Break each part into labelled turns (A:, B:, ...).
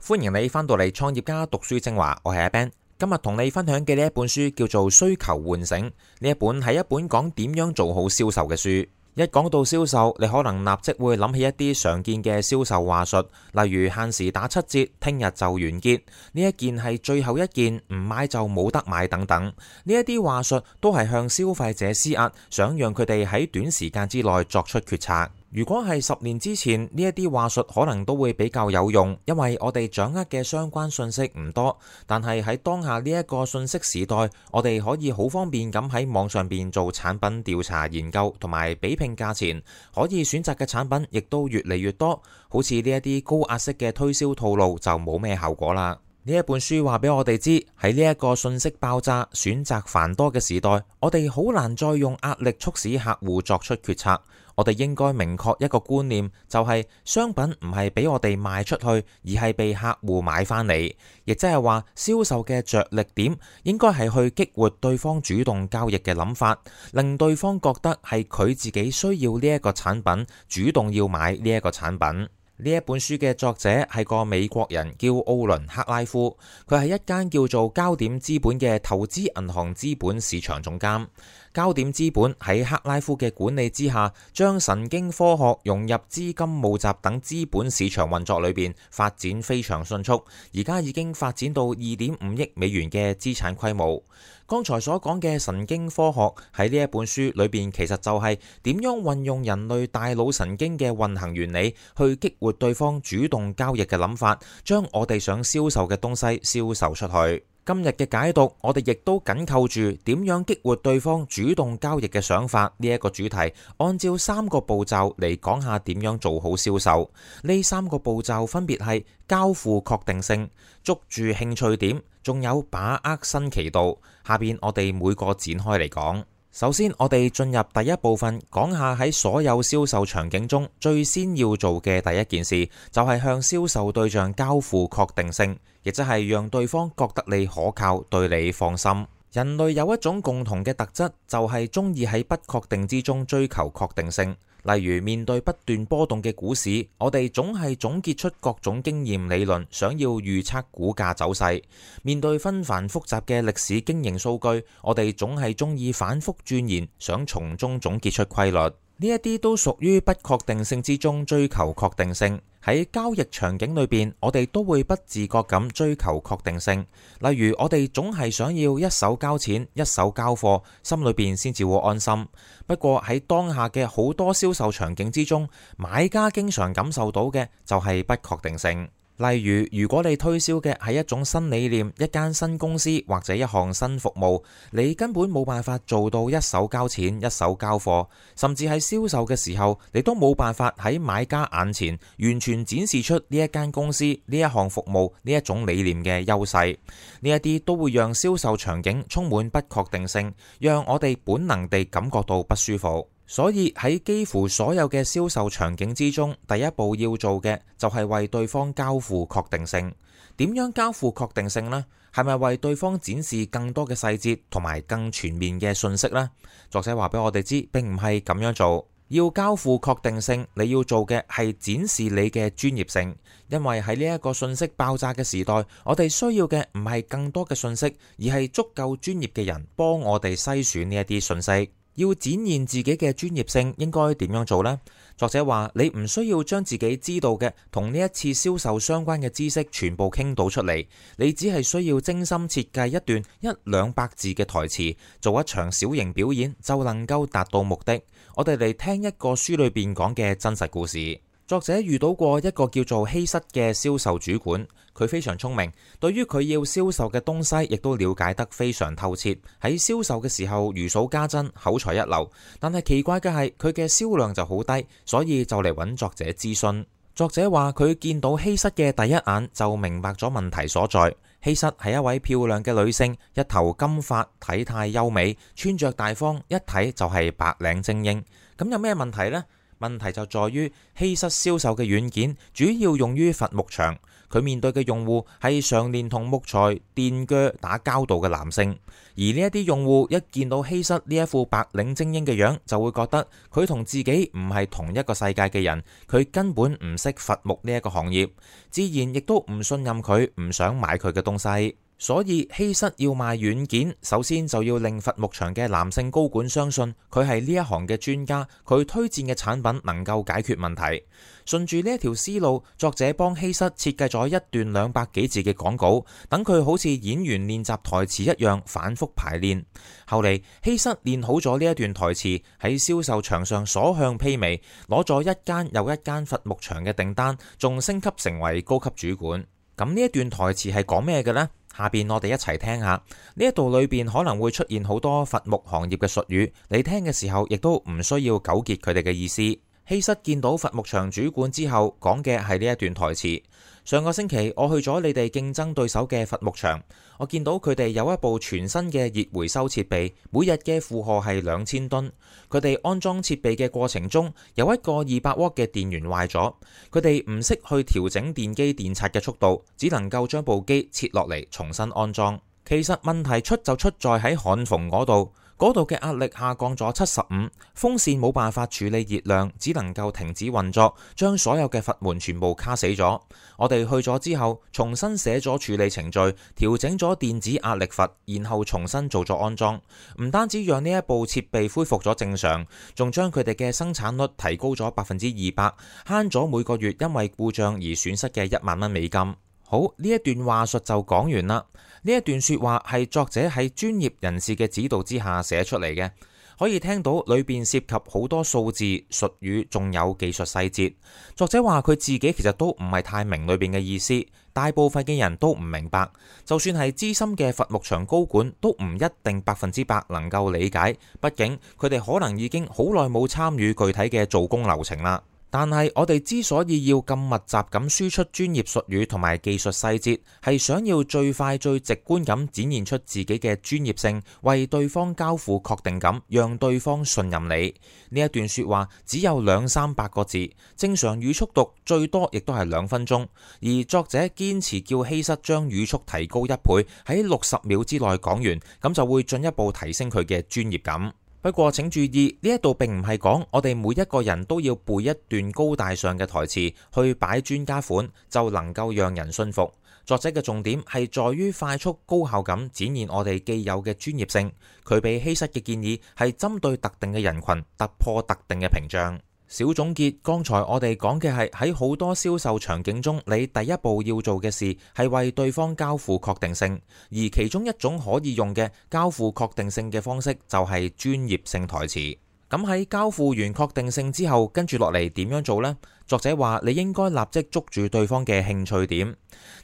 A: 歡迎你返到嚟創業家讀書精華，我係阿 Ben。今日同你分享嘅呢一本書叫做《需求喚醒》，呢一本係一本講點樣做好銷售嘅書。一講到銷售，你可能立即會諗起一啲常見嘅銷售話術，例如限時打7折、聽日就完結，呢一件係最後一件，唔買就冇得買等等。呢一啲話術都係向消費者施壓，想讓佢哋喺短時間之內作出決策。如果係10年之前，呢一啲話術可能都會比較有用，因為我哋掌握嘅相關信息唔多。但係喺當下呢一個信息時代，我哋可以好方便咁喺網上邊做產品調查研究同埋比拼價錢，可以選擇嘅產品亦都越嚟越多。好似呢一啲高壓式嘅推銷套路就冇咩效果啦。呢一本書話俾我哋知，喺呢一個信息爆炸、選擇繁多嘅時代，我哋好難再用壓力促使客戶作出決策。我哋應該明確一個觀念，就係商品唔係俾我哋賣出去，而係被客戶買翻嚟。亦即係話，銷售嘅着力點應該係去激活對方主動交易嘅諗法，令對方覺得係佢自己需要呢一個產品，主動要買呢一個產品。呢一本書嘅作者係個美國人，叫奧倫克拉夫，佢係一間叫做交點資本嘅投資銀行資本市場總監。交點資本喺克拉夫嘅管理之下，將神經科學融入資金募集等資本市場運作裏邊，發展非常迅速，而家已經發展到2.5億美元嘅資產規模。剛才所講嘅神經科學喺呢一本書裏邊，其實就係點樣運用人類大腦神經嘅運行原理，去激活對方主動交易嘅諗法，將我哋想銷售嘅東西銷售出去。今日嘅解讀，我哋亦都緊扣住點樣激活對方主動交易嘅想法呢一個主題，按照3個步驟嚟講下點樣做好銷售。呢3個步驟分別係交付確定性、捉住興趣點，仲有把握新奇度。下邊我哋每個展開嚟講。首先，我哋進入第一部分，講下喺所有銷售場景中最先要做嘅第一件事，就係向銷售對象交付確定性，亦即係讓對方覺得你可靠，對你放心。人類有一種共同嘅特質，就係中意喺不確定之中追求確定性。例如面對不斷波動嘅股市，我哋總係總結出各種經驗理論，想要預測股價走勢。面對紛繁複雜嘅歷史經營數據，我哋總係中意反覆鑽研，想從中總結出規律。呢一啲都屬於不確定性之中追求確定性。喺交易場景裏邊，我哋都會不自覺咁追求確定性。例如，我哋總係想要一手交錢，一手交貨，心裏邊先至會安心。不過喺當下嘅好多銷售場景之中，買家經常感受到嘅就係不確定性。例如，如果你推銷嘅係一種新理念、一間新公司或者一項新服務，你根本冇辦法做到一手交錢、一手交貨，甚至喺銷售嘅時候，你都冇辦法喺買家眼前完全展示出呢一間公司、呢一項服務、呢一種理念嘅優勢。呢一啲都會讓銷售場景充滿不確定性，讓我哋本能地感覺到不舒服。所以喺幾乎所有嘅銷售場景之中，第一步要做嘅就係為對方交付確定性。點樣交付確定性呢？係咪為對方展示更多嘅細節同埋更全面嘅信息呢？作者話俾我哋知，並唔係咁樣做。要交付確定性，你要做嘅係展示你嘅專業性。因為喺呢一個信息爆炸嘅時代，我哋需要嘅唔係更多嘅信息，而係足夠專業嘅人幫我哋篩選呢一啲信息。要展現自己嘅專業性，應該點樣做呢？作者話：你唔需要將自己知道嘅同呢一次銷售相關嘅知識全部傾倒出嚟，你只係需要精心設計一段100-200字嘅台詞，做一場小型表演，就能夠達到目的。我哋嚟聽一個書裏邊講嘅真實故事。作者遇到過一個叫做希瑟嘅銷售主管，佢非常聰明，對於佢要銷售嘅東西亦都了解得非常透徹。喺銷售嘅時候如數家珍，口才一流。但係奇怪嘅係，佢嘅銷量就好低，所以就嚟揾作者諮詢。作者話佢見到希瑟嘅第一眼就明白咗問題所在。希瑟係一位漂亮嘅女性，一頭金髮，體態優美，穿着大方，一睇就係白領精英。咁有咩問題呢？問題就在於希瑟銷售嘅軟件主要用於伐木場，佢面對嘅用戶係常年同木材、電鋸打交道嘅男性，而呢一啲用戶一見到希瑟呢一副白領精英嘅樣，就會覺得佢同自己唔係同一個世界嘅人，佢根本唔識伐木呢一個行業，自然亦都唔信任佢，唔想買佢嘅東西。所以希瑟要賣軟件，首先就要令伐木場嘅男性高管相信佢係呢一行嘅專家，佢推薦嘅產品能夠解決問題。順住呢一條思路，作者幫希瑟設計咗一段200幾字嘅廣告，等佢好似演員練習台詞一樣反覆排練。後嚟希瑟練好咗呢一段台詞，喺銷售場上所向披靡，攞咗一間又一間伐木場嘅訂單，仲升級成為高級主管。咁呢一段台詞係講咩嘅呢？下邊我哋一齊聽下，呢一度裏邊可能會出現好多伐木行業嘅術語，你聽嘅時候亦都唔需要糾結佢哋嘅意思。希瑟見到伐木場主管之後，講嘅係呢一段台詞。上個星期我去咗你哋競爭對手嘅伐木場，我見到佢哋有一部全新嘅熱回收設備，每日嘅負荷係2000噸。佢哋安裝設備嘅過程中，有一個200瓦嘅電源壞咗，佢哋唔識去調整電機電刷嘅速度，只能夠將部機切落嚟重新安裝。其實問題出就出在喺焊縫嗰度。嗰度嘅壓力下降咗75，風扇冇辦法處理熱量，只能夠停止運作，將所有嘅閥門全部卡死咗。我哋去咗之後，重新寫咗處理程序，調整咗電子壓力閥，然後重新做咗安裝。唔單止讓呢一部設備恢復咗正常，仲將佢哋嘅生產率提高咗200%，慳咗每個月因為故障而損失嘅1萬蚊美金。好，呢一段話術就講完啦。呢一段說話係作者喺專業人士嘅指導之下寫出嚟嘅，可以聽到裏邊涉及好多數字術語，仲有技術細節。作者話佢自己其實都唔係太明裏邊嘅意思，大部分嘅人都唔明白，就算係資深嘅伐木場高管都唔一定100%能夠理解，畢竟佢哋可能已經好耐冇參與具體嘅做工流程啦。但係我哋之所以要咁密集咁輸出專業術語同埋技術細節，係想要最快最直觀咁展現出自己嘅專業性，為對方交付確定感，讓對方信任你。呢一段說話只有200-300個字，正常語速讀最多亦都係2分鐘，而作者堅持叫希瑟將語速提高1倍，喺60秒之內講完，咁就會進一步提升佢嘅專業感。不過請注意，呢一度並唔係講我哋每一個人都要背一段高大上嘅台詞去擺專家款就能夠讓人信服。作者嘅重點係在於快速高效咁展現我哋既有嘅專業性。佢俾希瑟嘅建議係針對特定嘅人群，突破特定嘅屏障。小總結，剛才我哋講嘅係喺好多銷售場景中，你第一步要做嘅事係為對方交付確定性，而其中一種可以用嘅交付確定性嘅方式就係專業性台詞。咁喺交付完確定性之後，跟住落嚟點樣做呢？作者話你應該立即捉住對方嘅興趣點。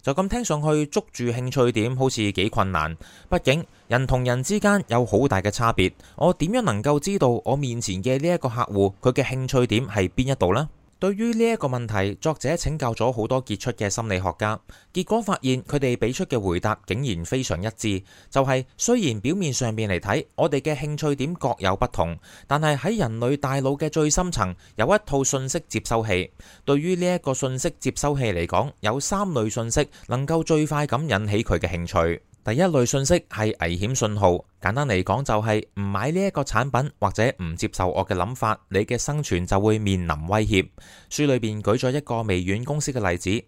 A: 就咁聽上去，捉住興趣點好似幾困難，畢竟人同人之間有好大嘅差別。我點樣能夠知道我面前嘅呢一個客戶佢嘅興趣點係邊一度呢？對於呢一個問題，作者請教咗好多傑出嘅心理學家，結果發現佢哋俾出嘅回答竟然非常一致，就係雖然表面上面嚟睇，我哋嘅興趣點各有不同，但係喺人類大腦嘅最深層有一套信息接收器。對於呢一個信息接收器嚟講，有3類信息能夠最快咁引起佢嘅興趣。第一類信息係危險信號，簡單嚟講就係唔買呢一個產品或者唔接受我嘅諗法，你嘅生存就會面臨威脅。書裏邊舉咗一個微軟公司嘅例子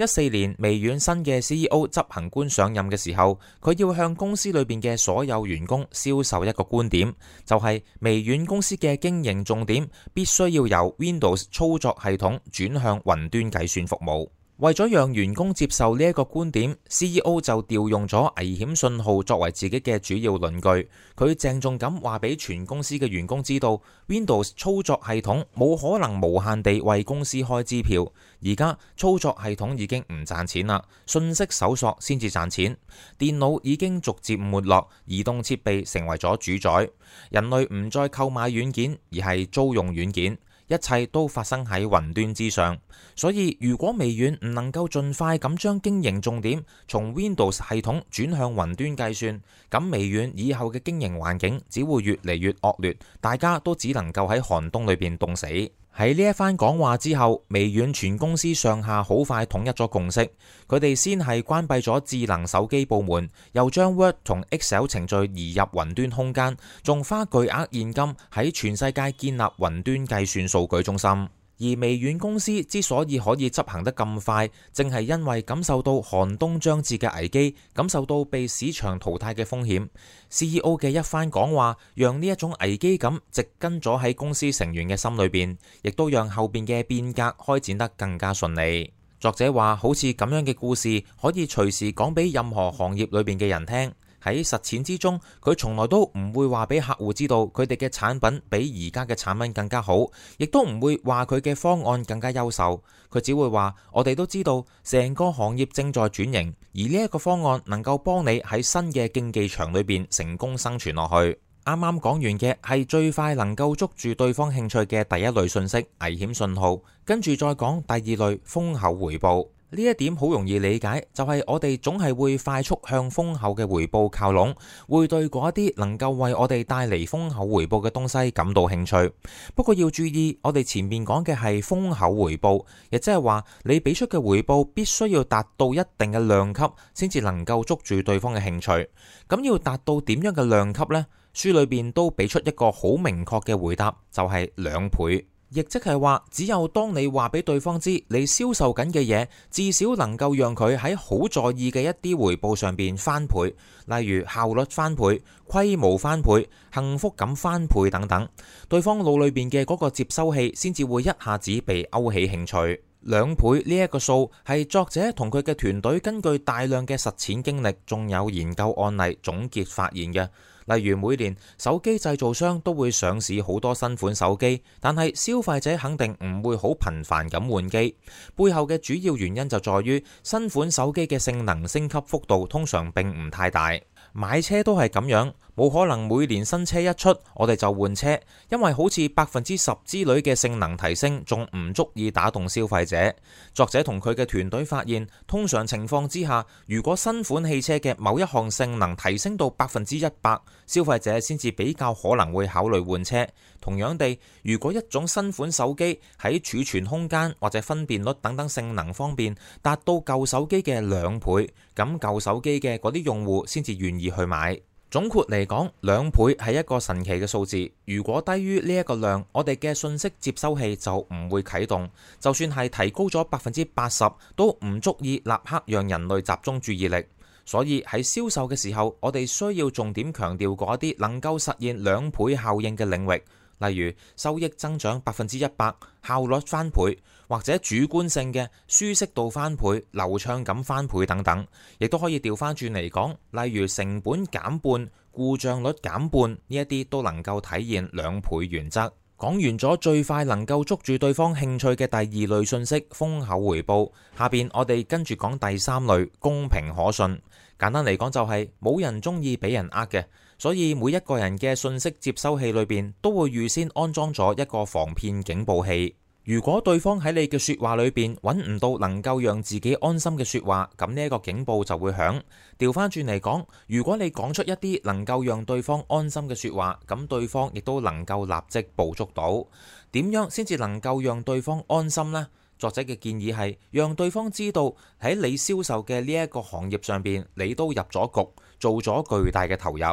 A: ，14年微軟新嘅 CEO 執行官上任嘅時候，佢要向公司裏邊嘅所有員工銷售一個觀點，就係微軟公司嘅經營重點必須要由 Windows 操作系統轉向雲端計算服務。為咗讓員工接受呢一個觀點， CEO 就調用咗危險信號作為自己嘅主要論據。佢鄭重咁話俾全公司嘅員工知道， Windows 操作系統冇可能無限地為公司開支票。而家操作系統已經唔賺錢啦，信息搜索先至賺錢。電腦已經逐漸沒落，移動設備成為咗主宰。人類唔再購買軟件，而係租用軟件。一切都發生喺雲端之上，所以如果微軟唔能夠盡快咁將經營重點從 Windows 系統轉向雲端計算，咁微軟以後嘅經營環境只會越嚟越惡劣，大家都只能夠喺寒冬裏邊凍死。喺呢一番講話之後，微軟全公司上下好快統一咗共識，佢哋先係關閉咗智能手機部門，又將 Word 同 Excel 程序移入雲端空間，仲花巨額現金喺全世界建立雲端計算數據中心。而微軟公司之所以可以執行得咁快，正係因為感受到寒冬將至嘅危機，感受到被市場淘汰嘅風險。CEO 嘅一番講話，讓呢一種危機感植根咗喺公司成員嘅心裏邊，亦都讓後邊嘅變革開展得更加順利。作者話，好似咁樣嘅故事，可以隨時講俾任何行業裏邊嘅人聽。喺實踐之中，佢從來都唔會話俾客戶知道佢哋嘅產品比而家嘅產品更加好，亦都唔會話佢嘅方案更加優秀。佢只會話，我哋都知道成個行業正在轉型，而呢一個方案能夠幫你喺新嘅競技場裏邊成功生存落去。啱啱講完嘅係最快能夠捉住對方興趣嘅第一類信息，危險信號，跟住再講第二類，豐厚回報。呢一點好容易理解，就係我哋總係會快速向豐厚嘅回報靠攏，會對嗰一啲能夠為我哋帶嚟豐厚回報嘅東西感到興趣。不過要注意，我哋前面講嘅係豐厚回報，亦即係話你俾出嘅回報必須要達到一定嘅量級，先至能夠捉住對方嘅興趣。咁要達到點樣嘅量級呢？書裏邊都俾出一個好明確嘅回答，就係2倍。亦即係話，只有當你話俾對方知你銷售緊嘅嘢，至少能夠讓佢喺好在意嘅一啲回報上邊翻倍，例如效率翻倍、規模翻倍、幸福感翻倍等等，對方腦裏邊嘅嗰個接收器先至會一下子被勾起興趣。2倍呢一個數係作者同佢嘅團隊根據大量嘅實踐經歷，仲有研究案例總結發現嘅。例如每年手機製造商都會上市好多新款手機，但係消費者肯定唔會好頻繁咁換機。背後嘅主要原因就在於新款手機嘅性能升級幅度通常並唔太大。買車都係咁樣，冇可能每年新車一出我哋就換車，因為好似10%之類嘅性能提升仲唔足以打動消費者。作者同佢嘅團隊發現，通常情況之下，如果新款汽車嘅某一項性能提升到100%，消費者先至比較可能會考慮換車。同樣地，如果一種新款手機喺儲存空間或者分辨率等等性能方面達到舊手機嘅2倍，咁舊手機嘅嗰啲用戶先至願意去買。總括嚟講，2倍係一個神奇嘅數字。如果低於呢一個量，我哋嘅信息接收器就唔會啟動，就算係提高咗80%，都唔足以立刻讓人類集中注意力。所以喺銷售嘅時候，我哋需要重點強調嗰啲能夠實現2倍效應嘅領域。例如收益增長100%、效率翻倍，或者主觀性嘅舒適度翻倍、流暢感翻倍等等，亦都可以調翻轉嚟講，例如成本減半、故障率減半，呢一啲都能夠體現2倍原則。講完咗最快能夠捉住對方興趣嘅第2類信息，豐厚回報，下邊我哋跟住講第3類，公平可信。簡單嚟講就係冇人中意俾人呃嘅，所以每一個人嘅信息接收器裏邊都會預先安裝咗一個防騙警報器。如果對方喺你嘅說話裏邊揾唔到能夠讓自己安心嘅說話，咁呢一個警報就會響。調翻轉嚟講，如果你講出一啲能夠讓對方安心嘅說話，咁對方亦都能夠立即捕捉到。點樣先至能夠讓對方安心呢？作者嘅建議係讓對方知道喺你銷售嘅呢一個行業上邊，你都入咗局，做咗巨大嘅投入。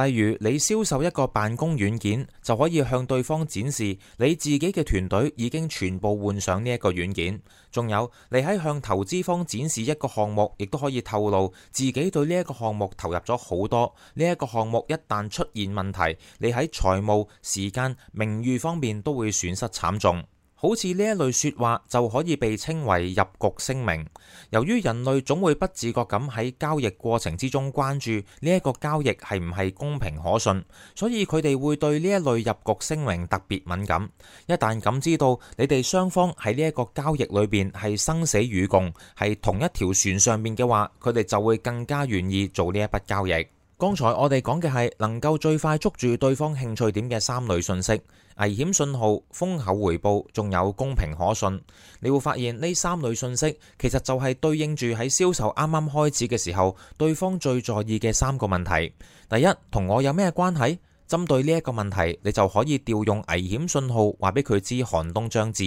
A: 例如你銷售一個辦公軟件，就可以向對方展示你自己嘅團隊已經全部換上呢一個軟件。仲有你喺向投資方展示一個項目，亦都可以透露自己對呢一個項目投入咗好多。呢一個項目一旦出現問題，你喺財務、時間、名譽方面都會損失慘重。好似呢一類說話就可以被稱為入局聲明。由於人類總會不自覺咁喺交易過程之中關注呢一個交易係唔係公平可信，所以佢哋會對呢一類入局聲明特別敏感。一旦感知到你哋雙方喺呢一個交易裏邊係生死與共，係同一條船上面嘅話，佢哋就會更加願意做呢一筆交易。剛才我哋講嘅係能夠最快捉住對方興趣點嘅3類信息：危險信號、豐厚回報，仲有公平可信。你會發現呢3類信息其實就係對應住喺銷售啱啱開始嘅時候，對方最在意嘅3個問題。第一，同我有咩關係？針對呢一個問題，你就可以調用危險信號，話俾佢知寒冬將至。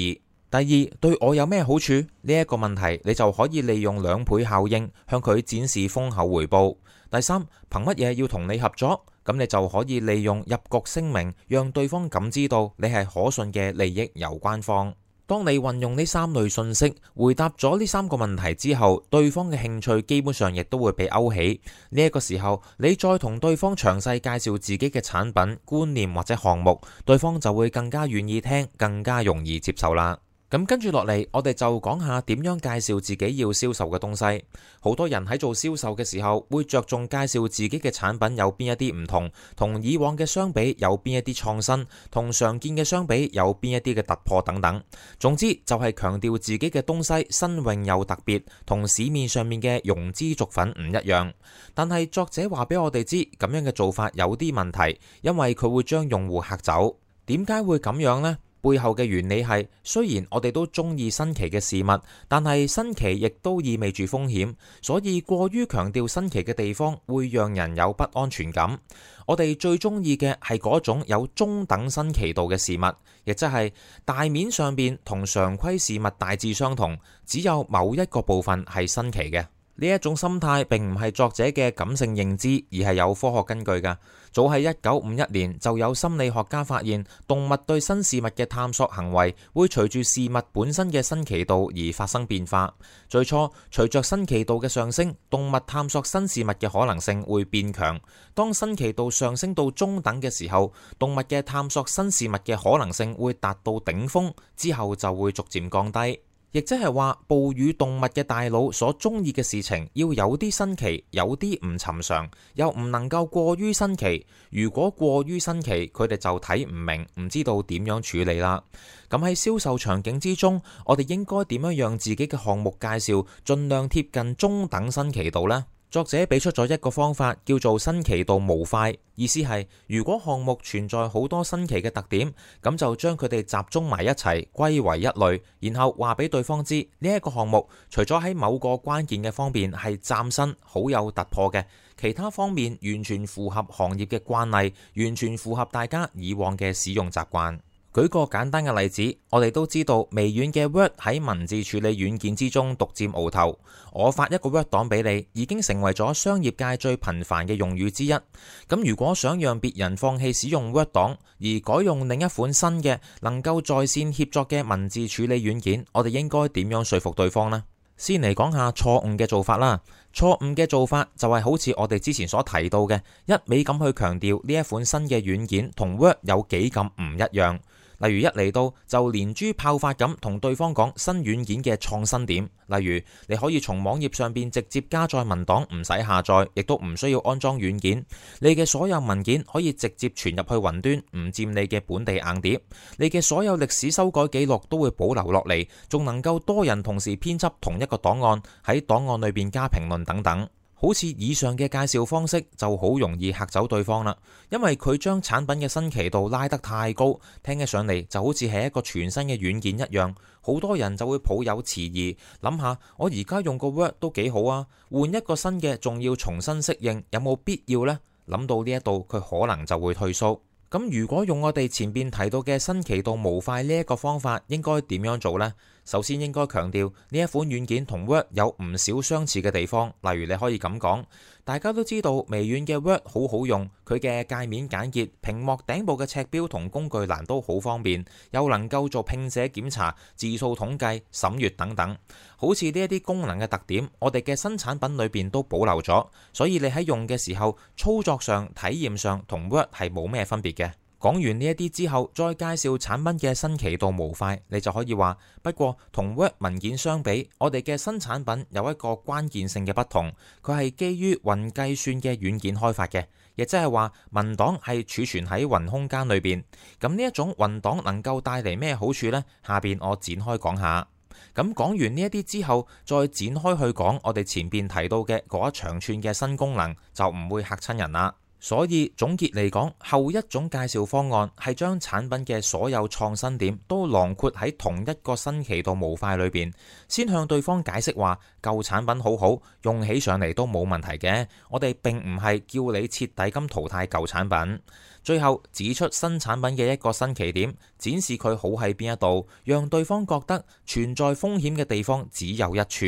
A: 第二，對我有咩好處？呢一個問題，你就可以利用2倍效應，向佢展示豐厚回報。第三，憑乜嘢要同你合作？咁你就可以利用入局聲明，讓對方感知到你係可信嘅利益攸關方。當你運用呢3類信息，回答咗呢3個問題之後，對方嘅興趣基本上亦都會被勾起。呢一個時候，你再同對方詳細介紹自己嘅產品、觀念或者項目，對方就會更加願意聽，更加容易接受啦。咁跟住落嚟，我哋就講下點樣介紹自己要銷售嘅東西。好多人喺做銷售嘅時候，會着重介紹自己嘅產品有邊一啲唔同，同以往嘅相比有邊一啲創新，同常見嘅相比有邊一啲嘅突破等等。總之就係強調自己嘅東西新穎又特別，同市面上面嘅庸脂俗粉唔一樣。但係作者話俾我哋知，咁樣嘅做法有啲問題，因為佢會將用戶嚇走。點解會咁樣呢？背後嘅原理係，雖然我哋都中意新奇嘅事物，但係新奇亦都意味住風險，所以過於強調新奇嘅地方會讓人有不安全感。我哋最中意嘅係嗰種有中等新奇度嘅事物，亦即係大面上邊同常規事物大致相同，只有某一個部分係新奇嘅。呢一種心態並唔係作者嘅感性認知，而係有科學根據㗎。早喺1951年就有心理學家發現，動物對新事物嘅探索行為會隨住事物本身嘅新奇度而發生變化。最初，隨着新奇度嘅上升，動物探索新事物嘅可能性會變強。當新奇度上升到中等嘅時候，動物嘅探索新事物嘅可能性會達到頂峰，之後就會逐漸降低。亦即係話，哺乳動物嘅大腦所中意嘅事情要有啲新奇，有啲唔尋常，又唔能夠過於新奇。如果過於新奇，佢哋就睇唔明，唔知道點樣處理啦。咁喺銷售場景之中，我哋應該點樣讓自己嘅項目介紹盡量貼近中等新奇度呢？作者俾出咗一個方法，叫做新奇度模塊。意思係，如果項目存在好多新奇嘅特點，咁就將佢哋集中埋一齊，歸為一類，然後話俾對方知，呢一個項目除咗喺某個關鍵嘅方面係嶄新、好有突破嘅，其他方面完全符合行業嘅慣例，完全符合大家以往嘅使用習慣。舉個簡單嘅例子，我哋都知道微軟嘅 Word 喺文字處理軟件之中獨佔鰲頭。我發一個 Word 檔俾你，已經成為咗商業界最頻繁嘅用語之一。咁如果想讓別人放棄使用 Word 檔，而改用另一款新嘅能夠在線協作嘅文字處理軟件，我哋應該點樣說服對方呢？先嚟講下錯誤嘅做法啦。錯誤嘅做法就係好似我哋之前所提到嘅，一味咁去強調呢一款新嘅軟件同 Word 有幾咁唔一樣。例如一嚟到就連珠炮發咁同對方講新軟件嘅創新點，例如你可以從網頁上邊直接加載文檔，唔使下載，亦都唔需要安裝軟件。你嘅所有文件可以直接傳入去雲端，唔佔你嘅本地硬碟。你嘅所有歷史修改記錄都會保留落嚟，仲能夠多人同時編輯同一個檔案，喺檔案裏邊加評論等等。好似以上嘅介紹方式就好容易嚇走對方啦，因為佢將產品嘅新奇度拉得太高，聽起上嚟就好似係一個全新嘅軟件一樣，好多人就會抱有遲疑，諗下我而家用個 Word 都幾好啊，換一個新嘅仲要重新適應，有冇必要呢？諗到呢一度，佢可能就會退縮。咁如果用我哋前邊提到嘅新奇度模塊呢一個方法，應該點樣做呢？首先應該強調呢一款軟件同 Word 有唔少相似嘅地方，例如你可以咁講，大家都知道微軟嘅 Word 好好用，佢嘅界面簡潔，屏幕頂部嘅尺標同工具欄都好方便，又能夠做拼寫檢查、字數統計、審閱等等。好似呢一啲功能嘅特點，我哋嘅新產品裏邊都保留咗，所以你喺用嘅時候，操作上、體驗上同 Word 係冇咩分別嘅。講完呢一啲之後，再介紹產品嘅新奇度模塊，你就可以話，不過同 Word 文件相比，我哋嘅新產品有一個關鍵性嘅不同，佢係基於雲計算嘅軟件開發嘅，亦即係話文檔係儲存喺雲空間裏邊。咁呢一種雲檔能夠帶嚟咩好處呢？下邊我展開講下。咁講完呢一啲之後，再展開去講我哋前邊提到嘅嗰一長串嘅新功能，就唔會嚇親人啦。所以總結嚟講，後一種介紹方案係將產品嘅所有創新點都囊括喺同一個新奇度模塊裏邊，先向對方解釋話舊產品好好，用起上嚟都冇問題嘅，我哋並唔係叫你徹底咁淘汰舊產品。最後指出新產品嘅一個新奇點，展示佢好喺邊一度，讓對方覺得存在風險嘅地方只有一處，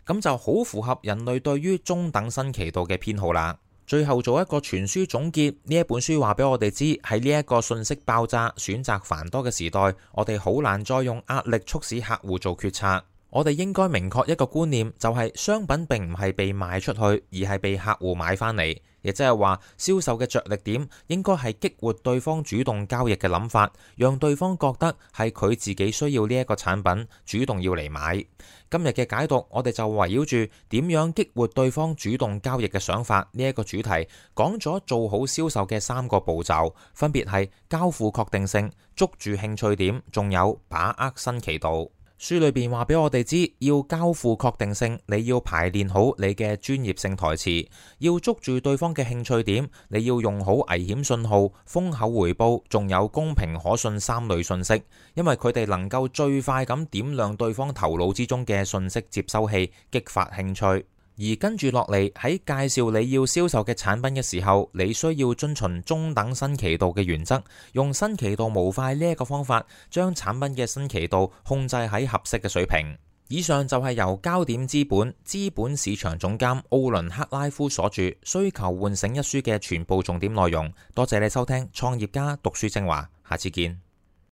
A: 咁就好符合人類對於中等新奇度嘅偏好啦。最後做一個全書總結，呢一本書話俾我哋知，喺呢一個信息爆炸、選擇繁多嘅時代，我哋好難再用壓力促使客戶做決策。我哋應該明確一個觀念，就係商品並唔係被賣出去，而係被客戶買翻嚟。亦即係話，銷售嘅着力點應該係激活對方主動交易嘅諗法，讓對方覺得係佢自己需要呢一個產品，主動要嚟買。今日嘅解讀，我哋就圍繞住點樣激活對方主動交易嘅想法呢一個主題，講咗做好銷售嘅3個步驟，分別係交付確定性、捉住興趣點，仲有把握新奇度。書裏邊話俾我哋知，要交付確定性，你要排練好你嘅專業性台詞；要捉住對方嘅興趣點，你要用好危險信號、封口回報，仲有公平可信3類信息，因為佢哋能夠最快咁點亮對方頭腦之中嘅信息接收器，激發興趣。而跟住落嚟喺介紹你要銷售嘅產品嘅時候，你需要遵循中等新奇度嘅原則，用新奇度模塊呢一個方法，將產品嘅新奇度控制喺合適嘅水平。以上就係由焦點資本市場總監奧倫克拉夫所著《需求喚醒》一書嘅全部重點內容。多謝你收聽創業家讀書精華，下次見。